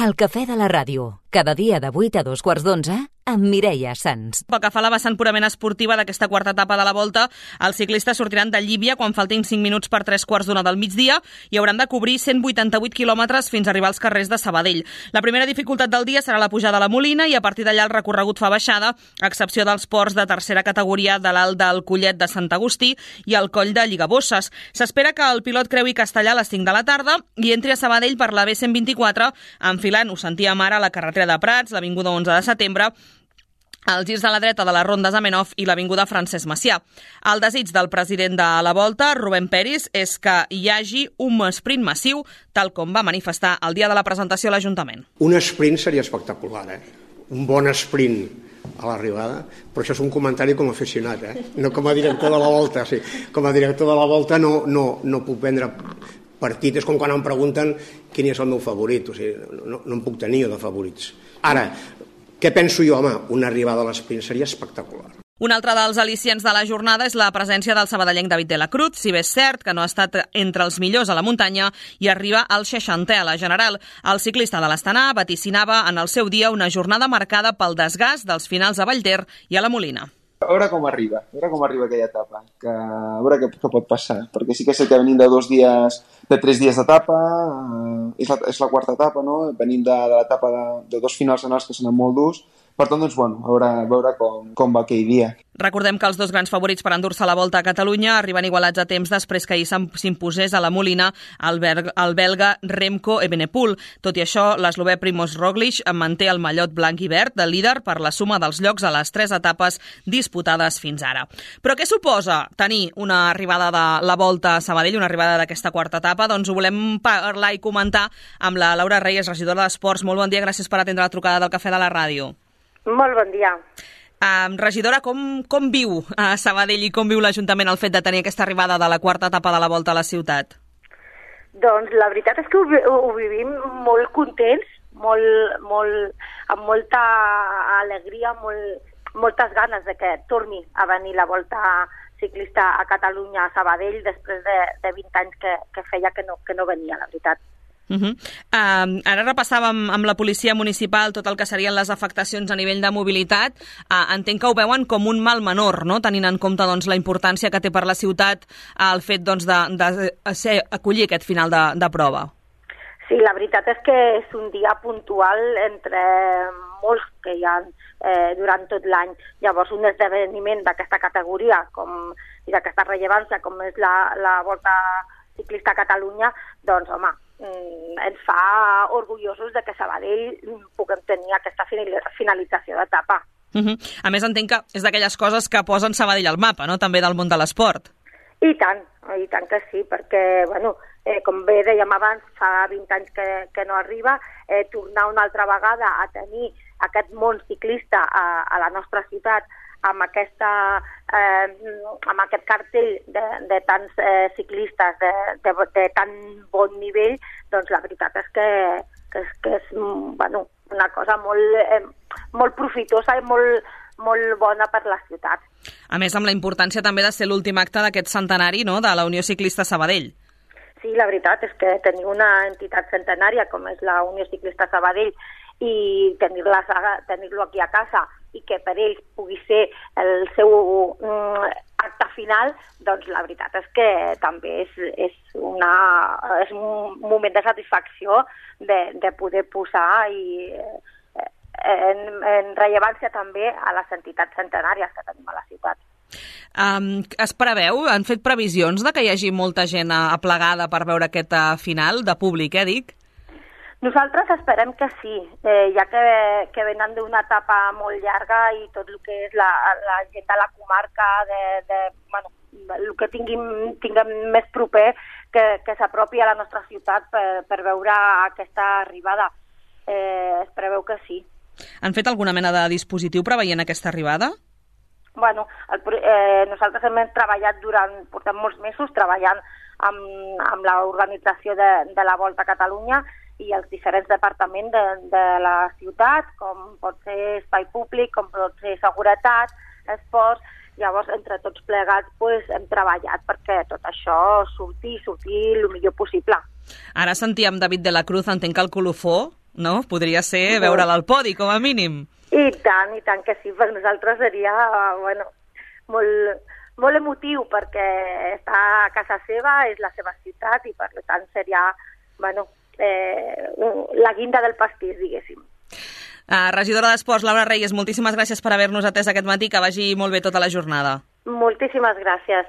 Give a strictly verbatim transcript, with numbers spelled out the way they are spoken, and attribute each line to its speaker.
Speaker 1: El cafè de la ràdio, cada dia de vuit a dos quarts d'onze, amb Mireia Sans.
Speaker 2: Pel que fa a la vessant purament esportiva d'aquesta quarta etapa de la Volta, els ciclistes sortiran de Llívia quan faltin cinc minuts per tres quarts d'una del migdia i hauran de cobrir cent vuitanta-vuit quilòmetres fins a arribar als carrers de Sabadell. La primera dificultat del dia serà la pujada a la Molina i a partir d'allà el recorregut fa baixada, a excepció dels ports de tercera categoria de l'Alt del Collet de Sant Agustí i el Coll de Lligabosses. S'espera que el pilot creui Castellà a les cinc de la tarda i entri a Sabadell per la B cent vint-i-quatre, enfilant, ho sentíem ara, la carretera de Prats, l'Avinguda onze de setembre, els girs de la dreta de les rondes Amenhof i l'Avinguda Francesc Macià. El desig del president de la Volta, Rubén Peris, és que hi hagi un sprint massiu, tal com va manifestar el dia de la presentació a l'Ajuntament.
Speaker 3: Un sprint seria espectacular, eh? Un bon sprint a l'arribada, però això és un comentari com a aficionat, eh? No com a director de la Volta. Sí. Com a director de la Volta no, no, no puc prendre partit. És com quan em pregunten quin és el meu favorit. O sigui, no, no em puc tenir de favorits. Ara, què penso jo? Home, una arribada a l'esprint seria espectacular.
Speaker 2: Un altre dels al·licients de la jornada és la presència del sabadellenc David de la Cruz, si bé és cert que no ha estat entre els millors a la muntanya i arriba al seixantè a la general. El ciclista de l'Astana vaticinava en el seu dia una jornada marcada pel desgast dels finals a Vallter i a la Molina.
Speaker 4: A veure com arriba, a veure com arriba aquella etapa, que, a veure què, què pot passar, perquè sí que sé que venim de dos dies, de tres dies d'etapa, eh, és, la, és la quarta etapa, no? Venim de, de l'etapa de, de dos finals anals que són molt durs, per tant, doncs, bueno, a veure, a veure com, com va aquell dia.
Speaker 2: Recordem que els dos grans favorits per endur-se la Volta a Catalunya arriben igualats a temps després que ahir s'imposés a la Molina el, el belga Remco Evenepoel. Tot i això, l'eslovè Primož Roglič manté el mallot blanc i verd de líder per la suma dels llocs a les tres etapes disputades fins ara. Però què suposa tenir una arribada de la Volta a Sabadell, una arribada d'aquesta quarta etapa? Doncs ho volem parlar i comentar amb la Laura Reyes, regidora d'Esports. Molt bon dia, gràcies per atendre la trucada del Cafè de la Ràdio.
Speaker 5: Molt bon dia.
Speaker 2: Uh, regidora, com, com viu a Sabadell i com viu l'Ajuntament el fet de tenir aquesta arribada de la quarta etapa de la Volta a la ciutat?
Speaker 5: Doncs la veritat és que ho, ho vivim molt contents, molt, molt, amb molta alegria, molt, moltes ganes de que torni a venir la Volta ciclista a Catalunya, a Sabadell, després de, de vint anys que, que feia que no, que no venia, la veritat.
Speaker 2: Uh -huh. uh, ara repassàvem amb la policia municipal tot el que serien les afectacions a nivell de mobilitat. Uh, entenc que ho veuen com un mal menor, no? Tenint en compte doncs, la importància que té per la ciutat uh, el fet doncs, de, de ser, acollir aquest final de, de prova.
Speaker 5: Sí, la veritat és que és un dia puntual entre molts que hi ha eh, durant tot l'any. Llavors, un esdeveniment d'aquesta categoria com, i d'aquesta rellevància com és la, la Volta Ciclista a Catalunya, doncs, home, ens fa orgullosos de que Sabadell puguem tenir aquesta finalització d'etapa.
Speaker 2: Uh -huh. A més, entenc que és d'aquelles coses que posen Sabadell al mapa, no?, també del món de l'esport.
Speaker 5: I tant, i tant que sí, perquè, bueno, eh, com bé dèiem abans, fa vint anys que, que no arriba, eh, tornar una altra vegada a tenir aquest món ciclista a, a la nostra ciutat amb, aquesta, eh, amb aquest cartell de, de tants eh, ciclistes de, de, de tan bon nivell, doncs la veritat és que, que, és, que és bueno, una cosa molt, eh, molt profitosa i molt, molt bona per la ciutat.
Speaker 2: A més, amb la importància també de ser l'últim acte d'aquest centenari, no?, de la Unió Ciclista Sabadell.
Speaker 5: Sí, la veritat és que tenir una entitat centenària com és la Unió Ciclista Sabadell i tenir-la, tenir-lo aquí a casa i que per ells pugui ser el seu mm, acte final, doncs la veritat és que també és, és, una, és un moment de satisfacció de, de poder posar i, eh, en, en rellevància també a les entitats centenàries que tenim a la ciutat.
Speaker 2: Um, es preveu, han fet previsions de que hi hagi molta gent aplegada per veure aquest final de públic, eh, dic?
Speaker 5: Nosaltres esperem que sí, eh, ja que, que venen d'una etapa molt llarga i tot el que és la, la gent de la comarca, de, de, bueno, el que tinguin, tinguem més proper, que, que s'apropi a la nostra ciutat per, per veure aquesta arribada. Eh, es preveu que sí.
Speaker 2: Han fet alguna mena de dispositiu preveient aquesta arribada?
Speaker 5: Bueno, el, eh, nosaltres hem treballat durant, portem molts mesos treballant amb, amb l'organització de, de la Volta a Catalunya i els diferents departaments de, de la ciutat, com pot ser espai públic, com pot ser seguretat, esports. Llavors, entre tots plegats, pues, hem treballat perquè tot això surti, surti el millor possible.
Speaker 2: Ara sentíem David de la Cruz, entenc que el colofó no? Podria ser veure'l al podi, com a mínim.
Speaker 5: I tant, i tant que sí, per nosaltres seria, bueno, molt, molt emotiu, perquè està a casa seva, és la seva ciutat, i per tant seria, bueno, eh, la guinda del pastís, diguéssim.
Speaker 2: Uh, regidora d'Esports, Laura Reyes, moltíssimes gràcies per haver-nos atès aquest matí, que vagi molt bé tota la jornada.
Speaker 5: Moltíssimes gràcies.